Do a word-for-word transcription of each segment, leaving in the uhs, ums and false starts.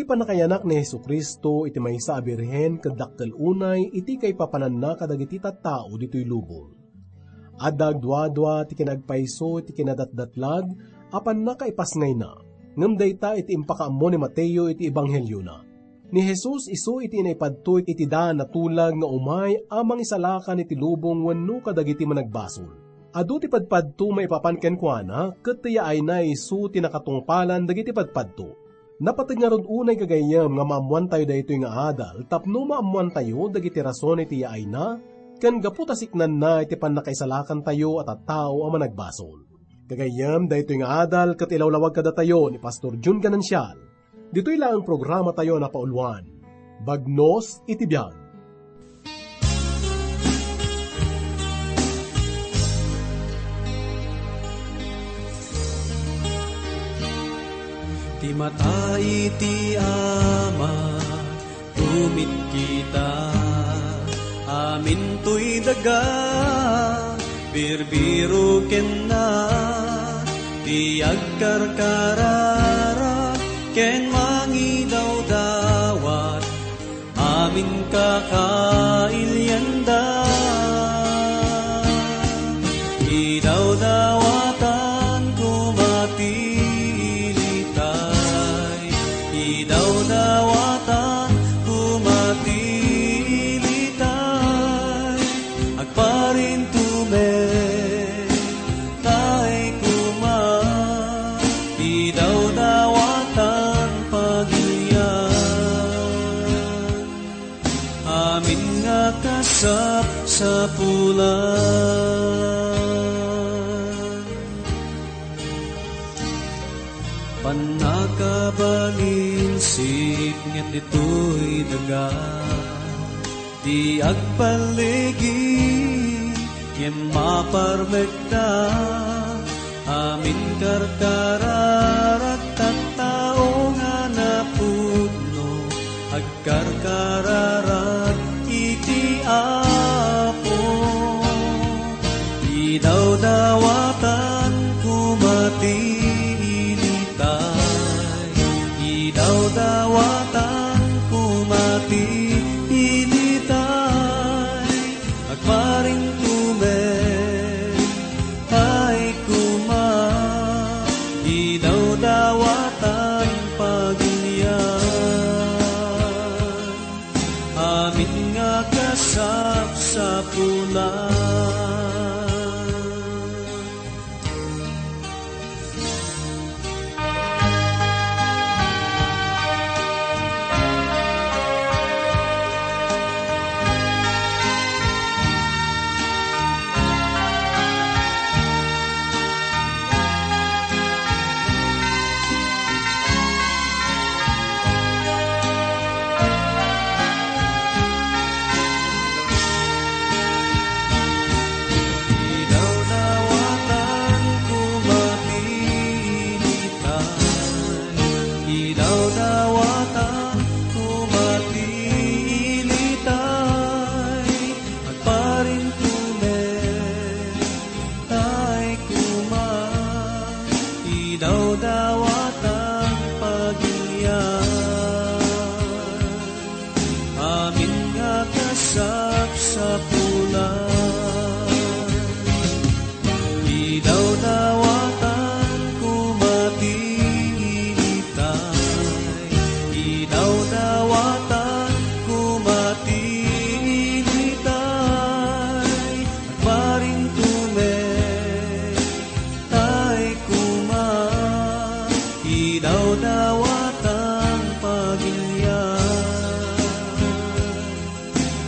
Pannakayanak ni Jesu-Cristo iti maysa a birhen ket dakkel unay iti kaipapananna kadagiti tattao ditoy lubong. Adda agduadua ti kinaagpayso iti kinadatdatlag a pannakaipasngayna, ngem dayta iti impakaammo ni Mateo iti ebangheliona. Ni Jesus isu iti naipadto iti daan a tulag nga umay a mangisalakan iti lubong wenno kadagiti managbasol. Adu ti padpadto maipapan kenkuana, ket ti yaayna isu ti nakatungpalan dagiti padpadto. Napateg ngarud unay gagayyem nga maammoantayo daytoy nga adal tapno maammoantayo dagiti rason iti yaayna ken gapu ta siknanna iti pannakaisalakantayo a tattao a managbasol. Gagayyem, daytoy nga adal ket ilawlawag kadatayo ni Pastor Jun Ganancial. Ditoy laeng programatayo a napauluan, Bagnos iti Biag. Ti mata iti Ama, tumitkita, amintoy daga, birbiro kenna, ti agkarkararag ken mangidawdawat, amin kakailianda. Idawdawatan koma ti ilitay, idawdawatan koma ti ilitay, agparintumen tay koma, idawdawatan pagilian. Amin nga kasapsapulan. Pannakabalin siknget ditoy daga, ti agpalligi ngem maparmekda, amin karkararag tattao nga napudno, agkarkararag iti Apo. Idawdawatan koma ti ilitay, idawdawatan koma ti ilitay, agparintumen tay koma, idawdawatan pagilian. Amin nga kasapsapulan. Idawdawatan koma ti ilitay, idawdawatan koma ti ilitay, agparintumen tay koma, idawdawatan pagilian. Amin nga kasapsapulan. Idawdawatan koma ti ilitay, idawdawatan koma ti ilitay, agparintumen tay koma, idawdawatan pagilian.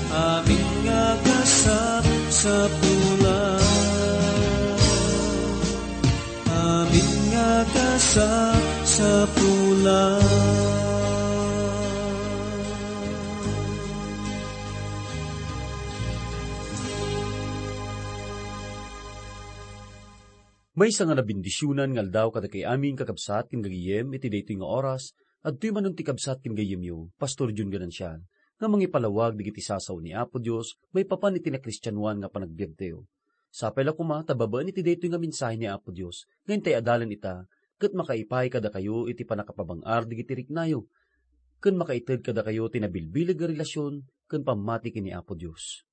Amin nga kasapsapulan, amin nga kasapsapulan. Maysa nga nabendisionan nga aldaw kadagiti amin, kakabsat ken gagayem, iti daytoy nga oras. Adtoy manen ti kabsat ken gayyemyo, Pastor Jun Ganancial, nga mangipalawag dagiti sasao ni Apo Dios maipapan iti nakristianoan nga panagbiagtayo. Sapay la koma ta babaen iti daytoy nga mensahe ni Apo Dios nga intay adalen ita ket makaipay kadakayo iti pannakapabang-ar dagiti riknayo. ken makaited kadakayo ti nabilbileg a relasyon ken pammati ken ni Apo Dios.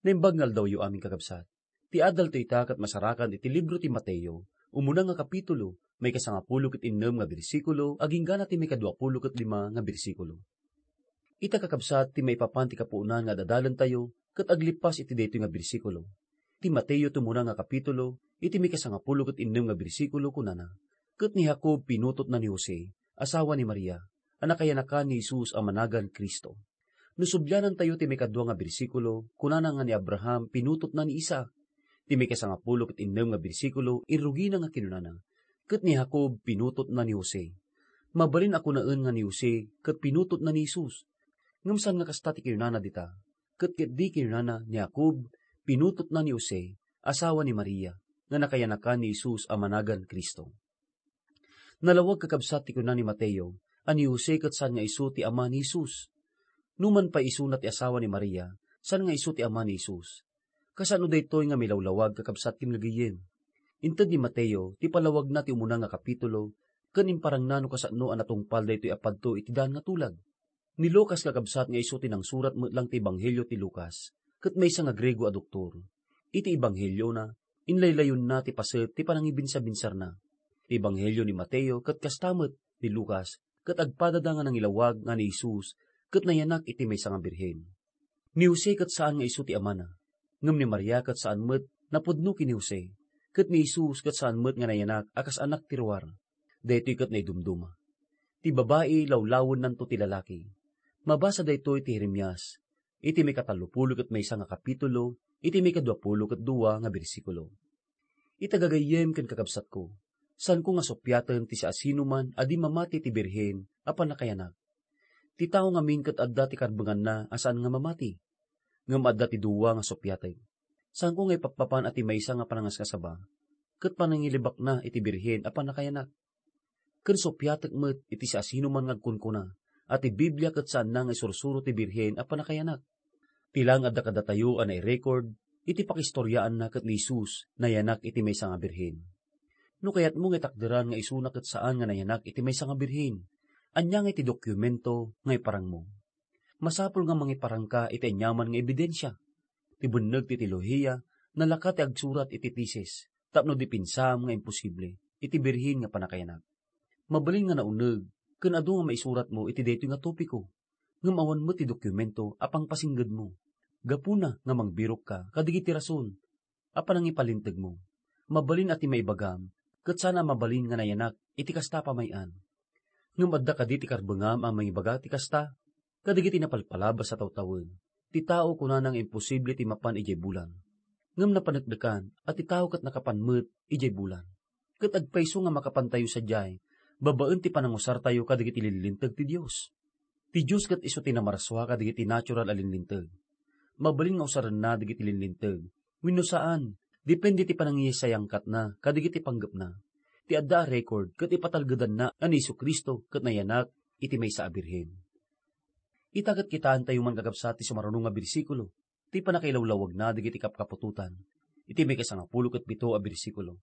Naimbag nga aldawyo amin, kakabsat. Ti adalto ita ket masarakan iti libro ti Mateo, umuna nga kapitulo, maikasangapulo ket innem nga bersikulo, agingga na ti maikaduapulo ket lima nga bersikulo. Ita, kakabsat, ti maipapan ti kapuonan nga adadalentayo ket aglippas iti daytoy nga bersikulo. Ti Mateo ti umuna nga kapitulo, iti maikasangapulo ket innem nga bersikulo, kunana, "Ket ni Jacob pinutotna ni Jose, asawa ni Maria, a nakayanakan ni Jesus a managan Cristo." No sublianantayo ti maikadua nga bersikulo, kunana nga ni Abraham pinutotna ni Isaac. Ti maikasangapulo ket innem nga bersikulo, irrugina nga kinunana, "Ket ni Jacob pinutotna ni Jose." Mabalin a kunaen nga ni Jose ket pinutotna ni Jesus. Ngem saan nga kasta ti kinunana dita, ket ketdi kinunana ni Jacob pinutotna ni Jose, asawa ni Maria, nga nakayanakan ni Jesus a managan Cristo. Nalawag, kakabsat, ti kuna ni Mateo a ni Jose ket saan nga isu ti ama ni Jesus. Numan pay isuna ti asawa ni Maria, saan nga isu ti ama ni Jesus. Kasano daytoy nga milawlawag, kakabsat ken gagayyem? Inted ni Mateo ti palawagna ti umuna nga kapitulo ken imparangna no kasano a natungpal daytoy a padto iti daan nga tulag. Ni Lucas, kakabsat, nga isu ti nangsurat met lang ti Ebanghelio ti Lucas, ket maysa nga Griego a doktor. Iti Ebangheliona, inlaylayonna ti paset ti panangibinsabinsarna. Ti Ebanghelio ni Mateo ket kasta met ni Lucas, ket agpadada nga nangilawag nga ni Jesus ket nayanak iti maysa nga birhen. Ni Jose ket saan nga isu ti amana, ngem ni Maria ket saan met napudno ken ni Jose, ket ni Jesus ket saan met nga nayanak a kas anak ti ruar. Daytoy ket naidumduma. Ti babai lawlawennanto ti lalaki. Mabasa daytoy ti Jeremias, iti maikatallopulo ket maysa nga kapitulo, iti maikaduapulo ket dua nga bersikulo. Ita, gagayyem ken kakabsatko, saanko nga suppiaten ti siasinoman a di mamati ti birhen a pannakayanak. Ti tao ngamin ket adda ti karbenganna a saan nga mamati. Ngem adda ti dua nga suppiatek. Saanko nga ipappapan a ti maysa nga panangasngasaba ket panangilibakna iti birhen a pannakayanak. Ken suppiatek met iti siasinoman nga agkunkuna a ti Biblia ket saanna nga isursuro ti birhen a pannakayanak. Ti laeng adda kadatayo a nairekord iti pakistoriaanna ket ni Jesus nayanak iti maysa nga birhen. No kayatmo nga itakderan nga isuna ket saan nga nayanak iti maysa nga birhen, ania nga iti dokumento nga iparangmo? Masapul nga mangiparangka iti aniaman nga ebidensia. Ti benneg ti teolohiya, nalaka ti agsurat iti tesis tapno dipensam nga imposible iti birhen nga pannakayanak. Mabalin nga nauneg ken adu nga maisuratmo iti daytoy nga topiko, ngem awan met ti dokumento a pangpasinggedmo. Gapuna nga mangbirokka kadagiti rason a panangipalintegmo. Mabalin a ti maibagam, ket saan a mabalin nga nayanak iti kasta a pamay-an. Ngem adda kadi ti karbengam a mangibaga ti kasta? Kadagiti napalpalabas a tawtawen, ti tao kunana nga imposible ti mapan idiay bulan. Ngem napaneknekan a ti tao ket nakapan met idiay bulan. Ket agpayso nga makapantayo sadiay babaen ti panangusartayo kadagiti linlinteg ti Dios. Ti Dios ket isu ti namarsua kadagiti natural a linlinteg. Mabalin nga usarenna dagiti linlinteg wenno saan, depende ti panangiyasayangkatna kadagiti panggepna. Ti adda a record ket ipatalgedanna a ni Jesu-Cristo ket nayanak iti maysa a birhen. Ita ket kitaentayo man, kakabsat, ti sumaruno nga bersikulo, ti pannakailawlawagna dagiti kapkaputotan, iti maikasangapulo ket pito a bersikulo.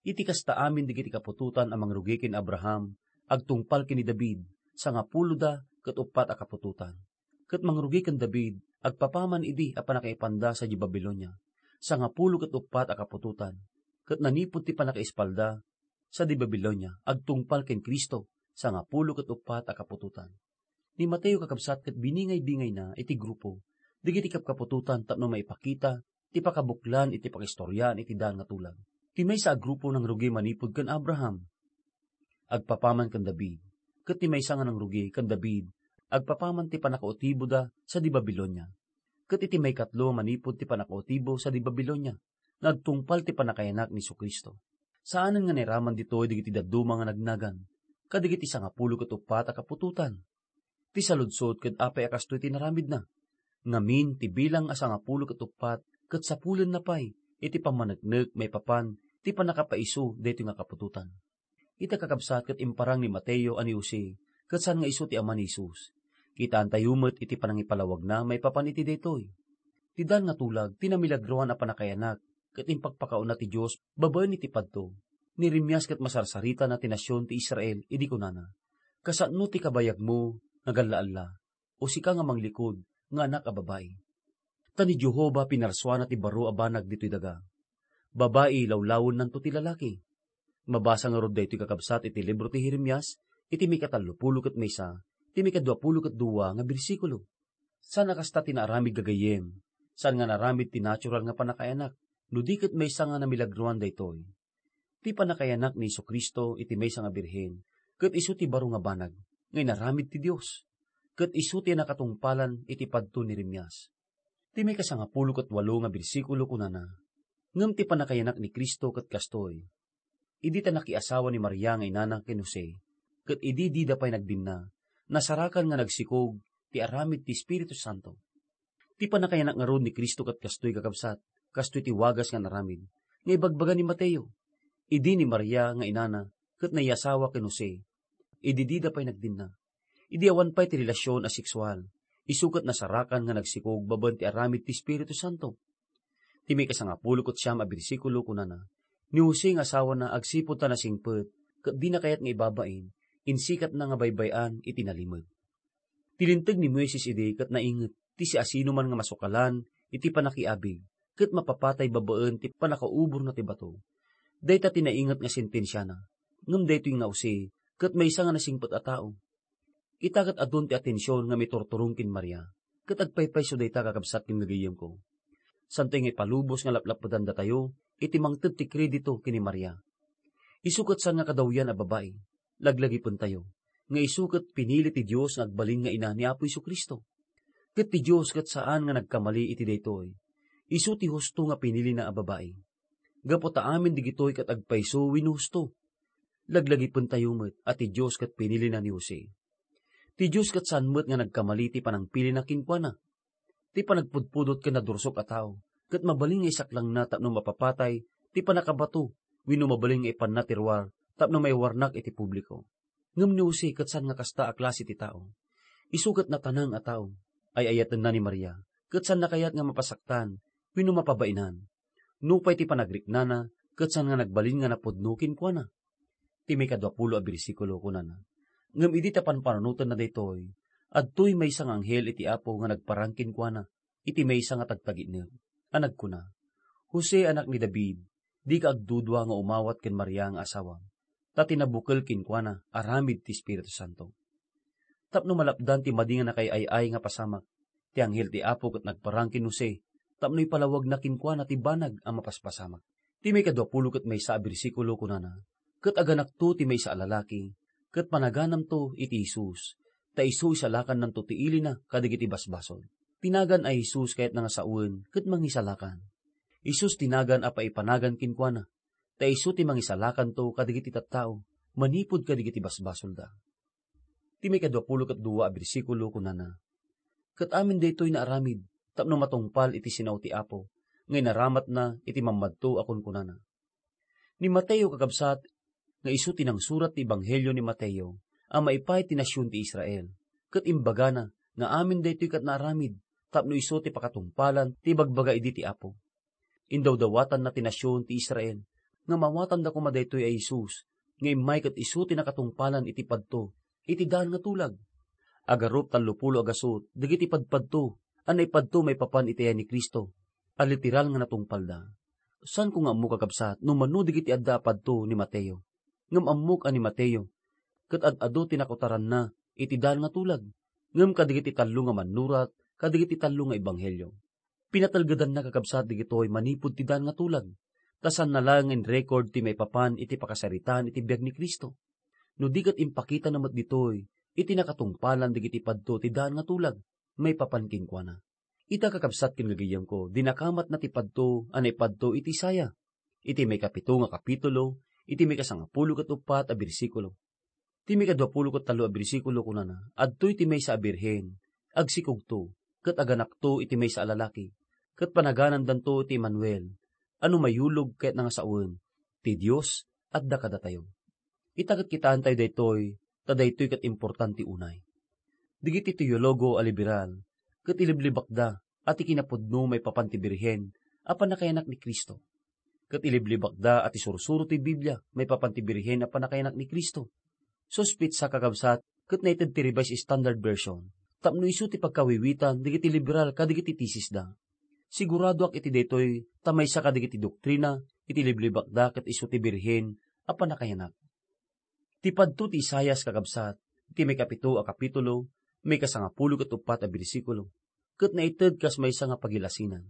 Iti kasta amin dagiti kaputotan a mangrugi ken Abraham, agtungpal ken ni David, sangapuloda ket uppat a kaputotan. Ket mangrugi ken David, agpapaman idi a pannakaipanda sadiay Babilonia, sangapulo ket uppat a kaputotan. Ket nanipud ti pannakaispalda sadiay Babilonia, agtungpal ken Cristo, sangapulo ket uppat a kaputotan. Ni Mateo, kakabsat, ket biningay-bingayna iti grupo dagiti kapkaputotan tapno maipakita ti pakabuklan iti pakistoriaan iti daan nga tulag. Ti maysa a grupo nangrugi manipud ken Abraham, agpapaman ken David, ket ti maysa nga nangrugi ken David, agpapaman ti pannakautiboda sadiay Babilonia. Ket iti maikatlo manipud ti pannakautibo sadiay Babilonia, nga agtungpal ti pannakayanak ni Jesu-Cristo. Saanen nga nairaman ditoy dagiti dadduma nga nagnagan, kadagiti sangapulo ket uppat a kaputotan. Ti saludsod ket apay a kastoy ti inaramidna? Ngamin, ti bilang a sangapulo ket uppat ket sapulenna pay iti pammaneknek maipapan ti pannakapaiso daytoy nga kaputotan. Ita, kakabsat, ket imparang ni Mateo a ni Jose ket saan nga isu ti ama ni Jesus. Kitaentayo met iti panangipalawagna maipapan iti daytoy. Ti daan nga tulag ti namilagroan a pannakayanak ket impakpakauna ti Dios babaen iti padto. Ni Jeremias ket masarsaritana ti nasion ti Israel idi kunana, "Kasano ti kabayagmo nga galla-alla, o sika nga manglikud nga anak a babai. Ta ni Jehovah pinarsuana ti baro a banag ditoy daga. Babai lawlawennanto ti lalaki. Mabasa ngarud daytoy, kakabsat, iti libro ti Jeremias, iti maikatallopulo ket maysa, ti maikaduapulo ket dua nga bersikulo. Saan a kasta ti naaramid, gagayyem. Saan nga naaramid ti natural nga pannakaayanak, no di ket maysa nga namilagroan daytoy. Ti pannakaayanak ni Jesu-Cristo iti maysa nga birhen, ket isu ti baro nga banag nga inaramid ti Dios, ket isu ti nakatungpalan iti padto ni Jeremias. Ti maikasangapulo ket walo nga bersikulo kunana, "Ngem ti pannakaayanak ni Cristo ket kastoy: idi ta nakiasawa ni Maria nga inana ken Jose, ket idi dida pay nagdinna, nasarakan nga nagsikog ti aramid ti Espiritu Santo." Ti pannakaayanak ngarud ni Cristo ket kastoy, kakabsat, kastoy ti wagas nga naramid nga ibagbaga ni Mateo. Idi ni Maria nga inana ket naiyasawa ken Jose, idi dida pay nagdinna, idi awan pay ti relasion a seksual, isu ket nasarakan nga nagsikog babaen ti aramid ti Espiritu Santo. Ti maikasangapulo ket siam a bersikulo kunana, "Ni Jose nga asawana agsipud ta nasingpet ket dina kayat nga ibabain, insikatna nga baybay-an iti nalimed." Ti linteg ni Moises idi ket nainget ti siasinoman nga masukalan iti pannakiabig ket mapapatay babaen ti pannakauborna ti bato. Dayta ti nainget nga sentensiana, ngem daytoy nga Jose ket maysa nga nasingpet a tao. Ita ket adun ti atension nga miturturong ken Maria, ket agpaypayso dayta, kakabsat ken gagayyemko. Santoy nga ipalubos nga laplapedandatayo iti mangted ti kredito ken ni Maria. Isu ket saan nga kadawyan a babai, laglagipentayo, nga isu ket pinili ti Dios nga agbalin nga ina ni Apo Jesu-Cristo. Ket ti Dios ket saan nga nagkamali iti daytoy. Isu ti husto nga pinilina a babai. Gapu ta amin digitoy ket agpayso wenno husto. Laglagipentayo met a ti Dios ket pinilina ni Jose. Ti Dios ket saan met nga nagkamali ti panangpilina kenkuana. Ti panagpudpudot ken nadursok a tao, ket mabalin nga isaklangna tapno mapapatay ti pannakabato wenno mabalin nga ipanna ti ruar tapno maiwarnak iti publiko. Ngem ni Jose ket saan nga kasta a klase ti tao. Isu ket natanang a tao. Ay-ayatenna ni Maria, ket saanna kayat nga mapasaktan wenno mapabainan. Nupay ti panagriknana, ket saan nga nagbalin nga napudno kenkuana. Ti maikaduapulo a bersikulo, kunana, "Ngem idi ta panpanunotenna daytoy, adtoy maysa nga anghel iti Apo nga nagparang kenkuana iti maysa nga tagtagitneg, a nagkuna, 'Jose, anak ni David, dika agdudua nga umawat ken Maria nga asawam, ta ti nabukel kenkuana aramid ti Espiritu Santo.'" Tapno malapdan ti madi nga nakaay-ay-ay nga pasamak, ti anghel ti Apo ket nagparang ken Jose tapno ipalawagna kenkuana ti banag a mapaspasamak. Ti maikaduapulo ket maysa a bersikulo kunana, "Ket aganakto ti maysa a lalaki, ket panaganamto iti Jesus, ta isu isalakannanto ti ilina kadagiti basbasol." Ti nagan a Jesus kayatna nga sawen ket mangisalakan. Jesus ti nagan a paipanagan kenkuana, ta isu ti mangisalakanto kadagiti tattao manipud kadagiti basbasolda. Ti maikaduapulo ket dua a bersikulo kunana, "Ket amin daytoy naaramid tapno matungpal iti sinao ti Apo nga inaramatna iti mammadto a kunkunana." Ni Mateo, kakabsat, nga isu ti nangsurat ti Ebanghelio ni Mateo a maipaay ti nasion ti Israel, ket imbagana nga amin daytoy ket naaramid tapno isu ti pakatungpalan ti ibagbaga idi ti Apo. Indawdawatanna ti nasion ti Israel nga mawatanda koma daytoy a Jesus nga immay ket isu ti nakatungpalan iti padto iti daan nga tulag. Agarup tallopulo a gasut dagiti padpadto a naipadto maipapan iti ayat ni Cristo a literal nga natungpalda. Saanko nga ammo, kakabsat, no mano dagiti adda a padto ni Mateo. Ngem ammok a ni Mateo ket ad-adu ti nakutaranna iti daan nga tulag, ngem kadagiti tallo nga mannurat kadagiti tallo nga ebanghelio. Pinatelgedanna, kakabsat, dagitoy manipud ti daan nga tulag, ta saanna laeng nga in-record ti maipapan iti pakasaritaan iti biag ni Cristo. No di ket impakitana met ditoy iti nakatungpalan dagiti padto ti daan nga tulag maipapan kenkuana. Ita, kakabsat ken gagayyemko, dinakamatna ti padto a naipadto iti Isaiah, iti maikapito nga kapitulo, iti maikasangapulo ket uppat a bersikulo. Ti maikaduapulo ket tallo a bersikulo kunana, "Adtoy ti maysa a birhen, agsikogto, ket aganakto iti maysa a lalaki, ket panaganandanto iti Emmanuel," a no mayulog ket nga sawen, "Ti Dios adda kadatayo." Ita ket kitaentayo daytoy, ta daytoy ket importante unay. Dagiti teologo a liberal ket iliblibakda a ti kinapudno maipapan ti birhen a pannakayanak ni Cristo. Ket iliblibakda a ti sursuro ti Biblia maipapan ti birhen a pannakayanak ni Cristo. Suspetsa, kakabsat, ket naited ti Revised Standard Version, tapno isu ti pagkawiwitan dagiti liberal kadagiti tesisda. Siguradoak iti daytoy ta maysa kadagiti doktrina iti liblibakda ket isu ti Birhen a pannakayanak. Ti padto ti Isaias, kakabsat, iti maikapito a kapitulo, maikasangapulo ket uppat a bersikulo, ket naited kas maysa nga pagilasinan.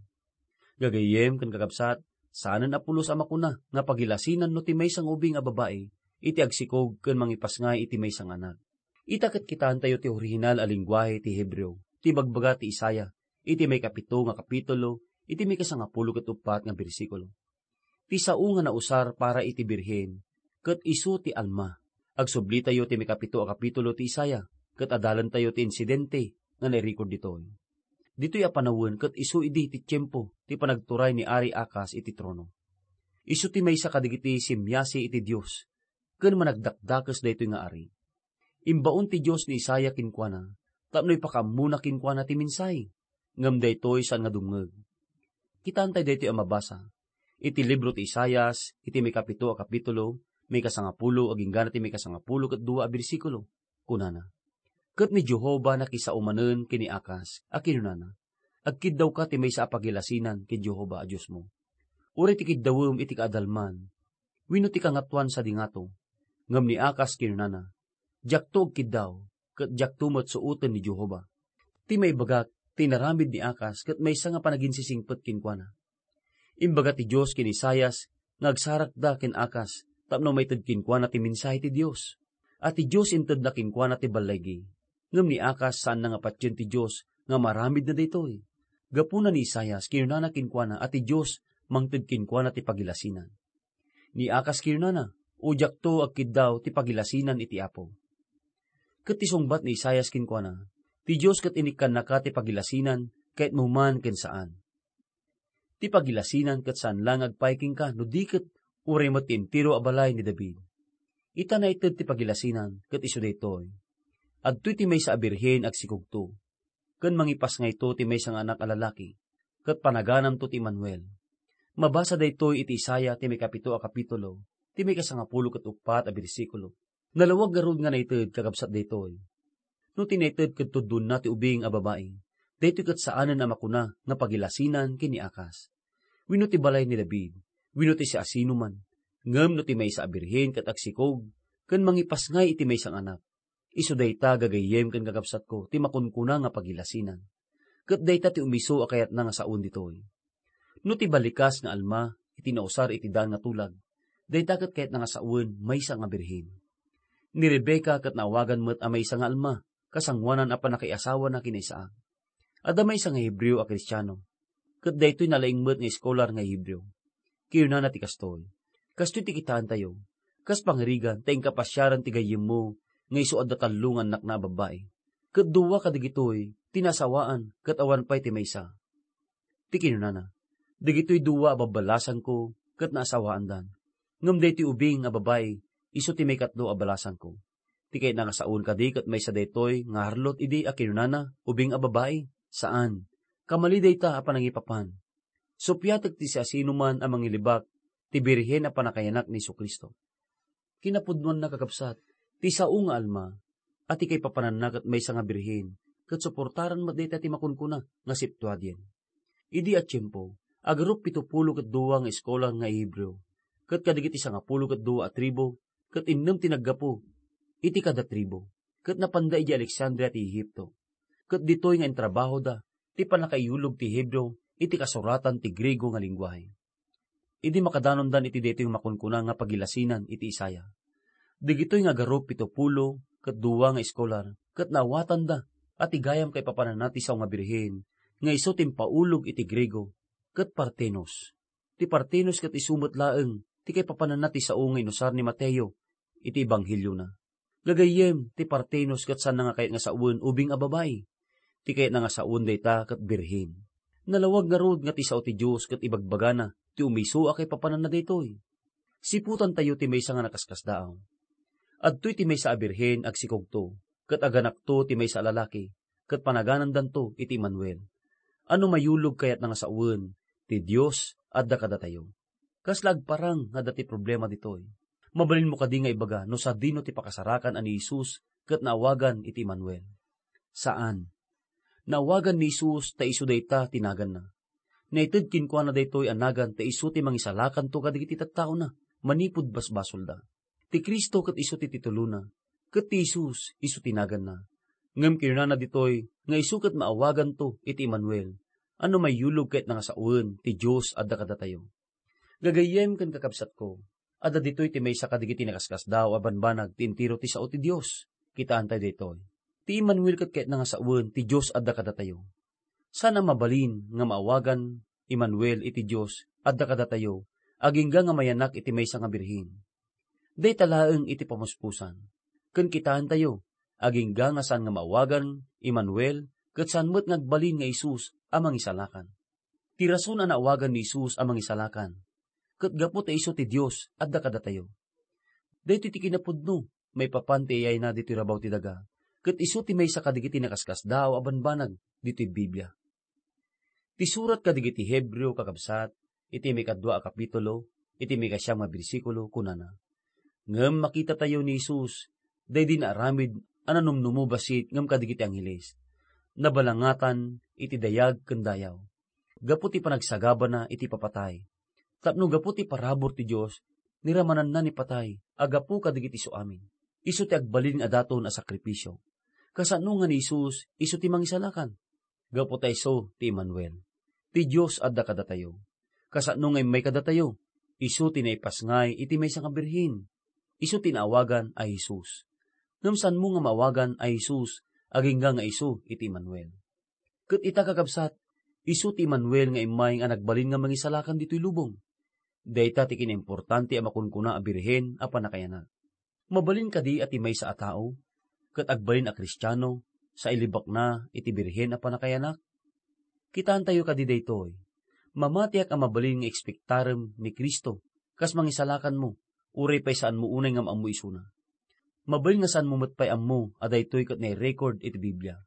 Gagayyem ken kakabsat, saanen a pulos a makuna nga pagilasinan no ti maysa nga ubing a babai iti agsikog ken mangipasngay iti maysa nga anak. Ita ket kitaentayo ti orihinal a lengguahe ti Hebreo, ti ibagbaga ti Isaiah iti maikapito nga kapitulo, iti maikasangapulo ket uppat nga bersikulo. Ti sao nga nausar para iti Birhen ket isu ti Alma. Agsublitayo ti maikapito a kapitulo ti Isaiah, ket adalentayo ti insidente nga nairecord ditoy. Ditoy a panawen ket isu idi ti tiempo ti panagturay ni Ari Akas iti trono. Isu ti maysa kadagiti simmiasi iti Dios ken managdakdakes daytoy nga ari. Imbaon ti Dios ni Isaiah kenkuana tapno ipakaammona kenkuana ti mensahe, ngem daytoy saan nga dumngeg. Kitaentayo daytoy a mabasa iti libro ti Isaias, iti maikapito a kapitulo, maikasangapulo agingga ti maikasangapulo ket dua a bersikulo. Kunana, "Ket ni Jehovah nakisao manen ken ni Akas a kinunana, 'Agkiddawka ti maysa a pagilasinan ken Jehovah a Diosmo.' Uray ti kiddawem iti kaadalman wenno ti kangatoan sadi ngato." Ngem ni Akas kinunana, "Diakto agkiddaw, ket diakto met suoten ni Jehovah." Ti maibagak, ti inaramid ni Akas ket maysa nga panaginsisingpet kenkuana. Imbaga ti Dios ken ni Isaias nga agsarakda ken Akas tapno maited kenkuana ti mensahe ti Dios. A ti Dios intedna kenkuana ti balligi, ngem ni Akas saanna nga patien ti Dios nga maramidna daytoy. Gapuna ni Isaias, kinunana kenkuana a ti Dios mangted kenkuana ti pagilasinan. Ni Akas kinunana, "O diakto agkiddaw ti pagilasinan iti Apo." Ket ti sungbat ni Isaias kenkuana, "Ti Dios ket inikkannaka ti pagilasinan, kayatmo man ken saan. Ti pagilasinan ket saan la nga agpaay kenka no di ket uray met ti entero a balay ni David." Ita naited ti pagilasinan ket isu daytoy. Adtoy ti maysa a birhen agsikogto, ken mangipasngayto ti maysa nga anak a lalaki, ket panagananto ti Emmanuel. Mabasa daytoy iti Isaiah ti maikapito a kapitulo, ti maikasangapulo ket uppat a bersikulo. Nalawag ngarud nga naited, kakabsat, daytoy. No ti naited ket tuddonna ti ubing a babai, daytoy ket saanen a makuna nga pagilasinan ken ni Akas, wenno ti balay ni David, wenno ti siasinoman. Ngem no ti maysa a birhen ket agsikog ken mangipasngay iti maysa nga anak, isu dayta, gagayyem ken kakabsatko, ti makunkuna nga pagilasinan. Ket dayta ti umiso a kayatna nga sawen ditoy. No ti balikas nga Alma iti nausar iti daan nga tulag, dayta ket kayatna nga sawen maysa nga birhen. Ni Rebecca ket naawagan met a maysa nga Alma, kasangoanan a pannakaiasawana ken ni Isaac. Adda maysa nga Hebreo a Kristiano, ket daytoy nalaing met nga eskolar nga Hebreo. Kinunana ti kastoy, "Kastoy ti kitaentayo, kas pangirigan ta inka pasiaren ti gayyemmo nga isu adda tallo nga annakna a babbai, ket dua kadagitoy ti naasawaan ket awan pay ti maysa." Ti kinunana, "Dagitoy dua a babbalasangko ket naasawaandan, ngem daytoy ubing a babai isu ti maikatlo a balasangko." Ti kayatna nga sawen kadi ket maysa daytoy nga harlot idi a kinunana, "Ubing a babai?" Saan. Kamali dayta a panangipapan. Suppiatek ti siasinoman a mangilibak ti birhen a pannakayanak ni Jesu-Cristo. Kinapudnoanna, kakabsat, ti sao nga Alma, a ti kaipapananna ket maysa nga birhen, ket suportaran met dayta ti makunkuna nga Septuagint. Idi a tiempo, agarup pito pulo ket dua nga eskolar nga Hebreo, ket kadagiti sangapulo ket dua a tribu, ket innem ti naggapu iti kada tribu, ket napanda idiay Alexandria ti Egipto. Ket ditoy nga intrabahoda ti pannakaiyulog ti Hebreo iti kasuratan ti Griego nga lengguahe. Idi makadanondan iti daytoy nga makunkuna nga pagilasinan iti Isaiah, dagitoy nga agarup pito pulo ket dua nga eskolar ket naawatanda a ti gayam kaipapananna ti sao nga birhen nga isu ti impaulog iti Griego ket Partenos. Ti Partenos ket isu met laeng ti kaipapananna ti sao nga inusar ni Mateo iti Ebangheliona. Gagayyem, ti Partenos ket saanna nga kayat nga sawen ubing a babai. Ti kayatna nga sawen dayta ket birhen. Nalawag ngarud nga ti sao ti Dios ket ibagbagana ti umiso a kaipapananna daytoy. Siputantayo ti maysa nga nakaskasdaaw. Adtoy ti maysa a birhen agsikogto, ket aganakto ti maysa a lalaki, ket panaganandanto iti Emmanuel. A no mayulog kayatna nga sawen, ti Dios adda kadatayo. Kasla agparang nga adda ti problema ditoy. Mabalinmo kadi nga ibaga no sadino ti pakasarakan a ni Jesus ket naawagan iti Emmanuel. Saan. Naawagan ni Jesus ta isu dayta ti naganna. Naited kenkuana daytoy a nagan ta isu ti mangisalakanto kadagiti tattaona manipud basbasolda. Ti Cristo ket isu ti titulona, ket ti Jesus isu ti naganna. Ngem kinunana ditoy nga isu ket maawaganto iti Emmanuel, a no maiyulog ket nangasawen ti Dios adda kadatayo. Gagayyem ken kakabsatko, adda ditoy ti maysa kadagiti nakaskasdaaw a banbanag ti entero ti sao ti Dios. Kitaantayo daytoy. Ti Emmanuel ket ket nangasawen ti Dios adda kadatayo. Saan a mabalin nga maawagan Emmanuel iti Dios adda kadatayo, agingga nga mayanak iti maysa nga birhen. Dayta laeng iti pamuspusan. Ken kitaentayo, agingga nga saan nga maawagan Emmanuel, ket saan met nga agbalin nga Jesus a mangisalakan. Ti rason a naawagan ni Jesus a mangisalakan, ket gapu ta isu ti Dios adda kadatayo. Daytoy ti kinapudno maipapan ti iyayna ditoy rabaw ti daga, ket isu ti maysa kadagiti nakaskasdaaw a banbanag ditoy Biblia. Ti surat kadagiti Hebreo, kakabsat, iti maikadua a kapitulo, iti maikasiam nga bersikulo, kunana, "Ngem makitatayo ni Jesus, daydi naaramid a nanumnumo bassit ngem kadagiti angheles. Nabalangatan iti dayag ken dayaw, gapu ti panagsagabana iti papatay. Tapno gapu ti parabur ti Dios, niramananna ni patay a gapu kadagiti isuamin. Isu ti agbalin a daton a sakripisio. Kasano nga ni Jesus, isu ti mangisalakan? Gapu ta isu ti Emmanuel. Ti Dios adda kadatayo. Kasano nga immay kadatayo? Isu ti naipasngay iti maysa nga birhen. Isu ti naawagan a Jesus. Ngem saanmo nga maawagan a Jesus, agingga nga isu iti Emmanuel." Ket ita, kakabsat, isu ti Emmanuel nga immay nga nagbalin nga mangisalakan ditoy lubong. Dayta ti kinaimportante a makunkuna a birhen a pannakayanak. Mabalin kadi a ti maysa a tao, ket agbalin a Kristiano, sa ilibakna iti birhen a pannakayanak? Kitaentayo kadi daytoy. Mamatiak a mabalin nga ekspektarem ni Cristo, kas mangisalakanmo, uray pay saanmo unay nga maammo isuna. Mabalin nga saanmo met pay ammo a daytoy ket nai-record iti Biblia.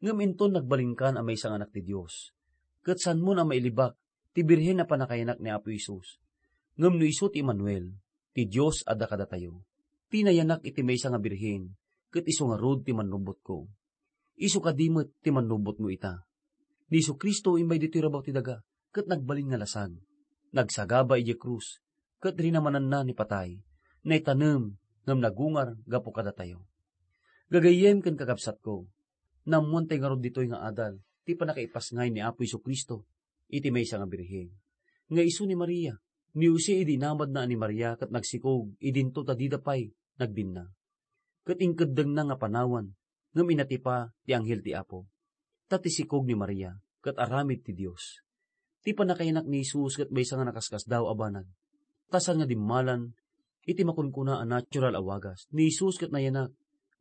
Ngem inton nagbalinkan a maysa nga anak ti Dios, ket saanmon a mailibak ti birhen a pannakayanak ni Apo Jesus. Ngem no isu ti Emmanuel, ti Dios adda kadatayo. Ti nayanak iti maysa nga birhen, ket isu ngarud ti mannubbotko. Isu kadi met ti mannubbotmo ita. Ni Jesu-Cristo immay ditoy rabaw ti daga, ket nagbalin nga lasag. Nagsagaba idiay krus, ket rinamananna ni patay. Naitanem ngem nagungar gapu kadatayo. Gagayyem ken kakabsatko, naammoantay ngarud ditoy nga adal ti pannakaipasngay ni Apo Jesu-Cristo iti maysa nga birhen, nga isu ni Maria. Ni Jose idi inamadna a ni Maria ket nagsikog idinto ta dida pay nagbinna. Ket inkeddengna nga panawan, ngem inatipa ti anghel ti Apo. Ta ti sikog ni Maria ket aramid ti Dios. Ti pannakayanak ni Jesus ket maysa nga nakaskasdaaw a banag. Ta saan nga dimmalan iti makunkuna a natural a wagas, ni Jesus ket nayanak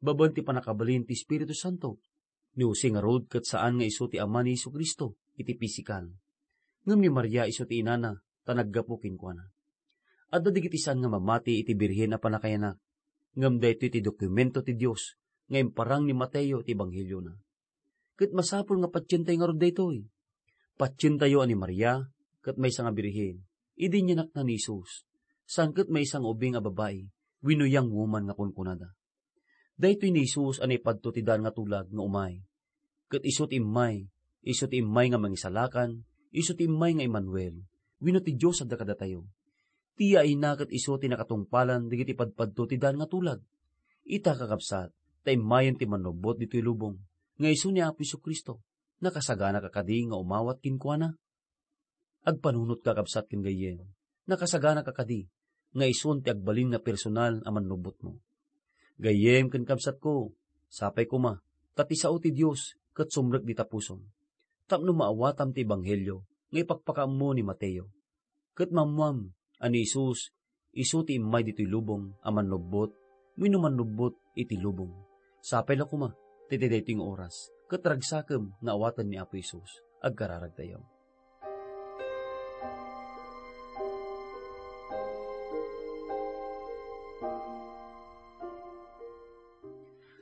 babaen ti pannakabalin ti Espiritu Santo. Ni Jose ngarud ket saan nga isu ti ama ni Jesu-Cristo iti pisikal. Ngem ni Maria isu ti inana ta naggapu kenkuana. Adda dagiti saan nga mamati iti birhen a pannakayanak, ngem daytoy ti dokumento ti Dios nga imparang ni Mateo iti Ebangheliona. Ket masapul nga patientayo ngarud daytoy. Patientayo a ni Maria ket maysa nga birhen, idi inyanakna ni Jesus, saan ket maysa nga ubing a babai wenno young woman nga kunkunada. Daytoy ni Jesus a naipadto ti daan nga tulag nga umay. Ket isu ti immay, isu ti immay nga Mangisalakan, isu ti immay nga Emmanuel, wenno ti Dios adda kadatayo. Ti yaayna ket isu ti nakatungpalan dagiti padpadto ti daan nga tulag. Ita, kakabsat, ta immayen ti mannubbot ditoy lubong, nga isu ni Apo Jesu-Cristo. Nakasagana ka kadi nga umawat kenkuana? Agpanunotka, kabsat ken gayyem. Nakasagana ka kadi nga isun ti agbalin nga personal a mannubbotmo? Gayyem ken kabsatko, sapay koma ta ti sao ti Dios ket sumrek dita pusom, tapno maawatam ti ebanghelio nga ipakpakaammo ni Mateo. Ket maammoam a ni Jesus isu ti immay ditoy lubong a mannubbot wenno mannubbot iti lubong. Sapay la koma ti daytoy nga oras ket ragsakem nga awaten ni Apo Jesus. Agkararagtayo.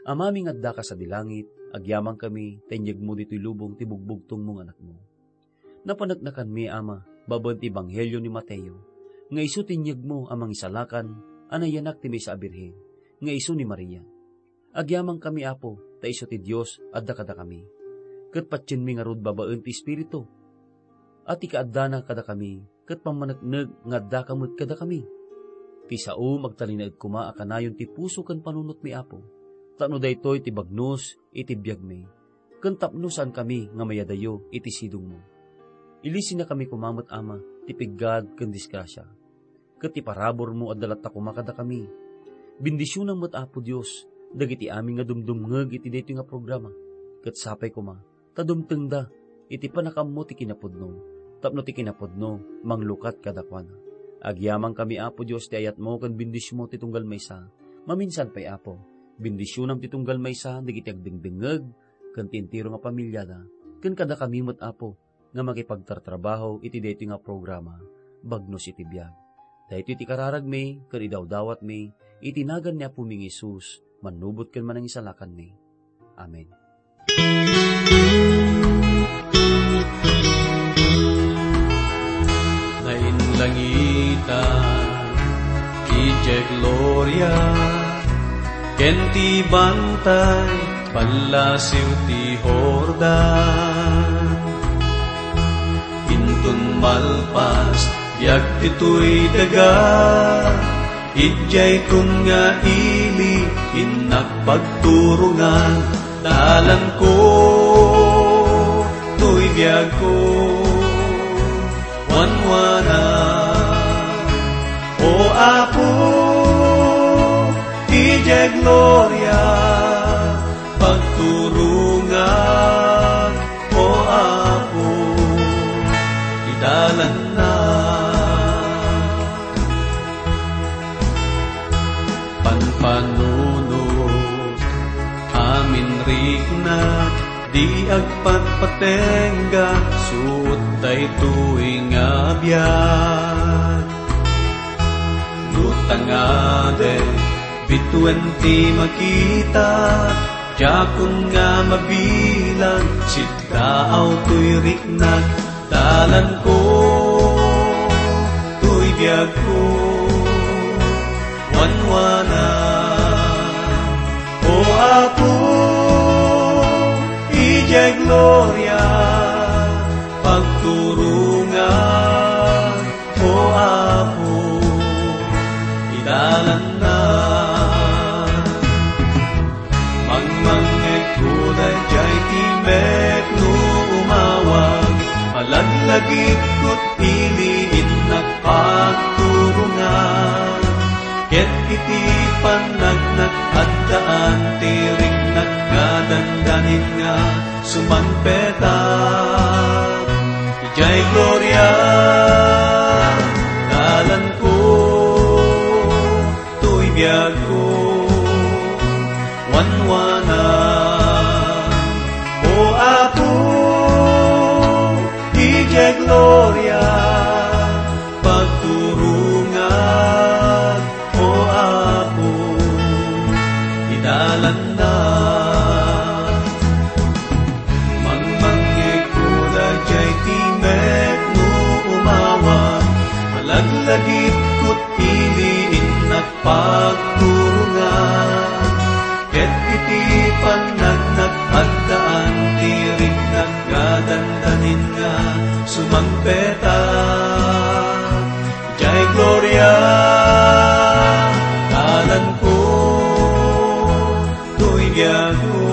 Amami nga addaka sadi langit, agyamankami ta inyegmo ditoy lubong ti bugbugtongmo nga Anakmo. Napaneknekanmi, Ama, babaen ti ebanghelio ni Mateo, nga isu ti inyegmo a Mangisalakan a nayanak ti maysa a birhen, nga isu ni Maria. Agyamankami, Apo, ta isu ti Dios adda kadakami. Ket patienmi ngarud babaen ti Espiritu a ti kaaddana kadakami, ket pammaneknek nga addaka met kadakami. Ti saom, agtalinaed koma a kanayon ti puso ken panunotmi, Apo, tapno daytoy ti bagnos iti biagmi, ken tapno saankami nga mayadayo iti sidongmo. Ilisinakami koma met, Ama, ti piggad ken disgrasia, ket ti paraburmo adda latta koma kadakami. Bendisionam met, Apo Dios, dagiti amin nga dumdumngeg iti daytoy nga programa, ket sapay koma ta dumtengda iti pannakaammo ti kinapudno, tapno ti kinapudno manglukat kadakuada. Agyamankami, Apo Dios, ti ayatmo ken bendisionmo ti tunggal maysa. Maminsan pay, Apo, bendisionam ti tunggal maysa dagiti agdengdengngeg ken ti entero nga pamiliada, ken kadakami met, Apo, nga makipagtartrabaho iti daytoy nga programa, Bagnos iti Biag. Daytoy ti kararagmi ken idawdawatmi iti nagan ni Apomi nga Jesus, mannubot ken manangisalakanmi. Amen. Nainlangitan, idiay gloria, ken ti bantay, pallasiw ti Jordan. Inton malpas, biag ditoy daga, idiay kun nga ili, innak pagturongan, dalanko, toy biagko, wanwana. O Apo, idiay gloria, pagturongan, O Apo, idalanna. Panpanunot, amin riknak, di agpatpatengga, suot daytoy nga biag. No tangaden, bituen ti makita, diakon nga mabilang, siddaaw toy riknak, dalanko, toy biagko, wanwana. O Apo, idiay gloria, pagturongan, O Apo, idalanna. Mangmangngegko daydiay timek no umawag, malaglagipko ti ili, innak pagturongan. Ket iti pannagnak, addaan ti riknak nga dandanin nga sumangpetak. Idiay gloria, dalanko, toy biagko, wanwana. O Apo, idiay gloria, pagturongan, O Apo, idalanna. Mangmangngegko daydiay timek no umawag, malaglagipko ti ili, innak pagturongan. Ket iti pannagnak, addaan ti riknak nga dandanin nga sumangpetak. Idiay gloria, dalanko, toy biagko,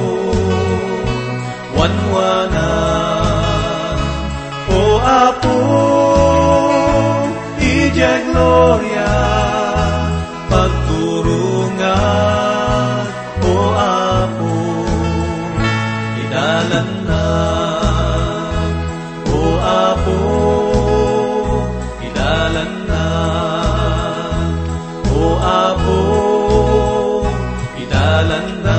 wanwana. O Apo, idiay gloria, pagturongan, O Apo, idalanna. O Apo, idalanna. O Apo, idalanna.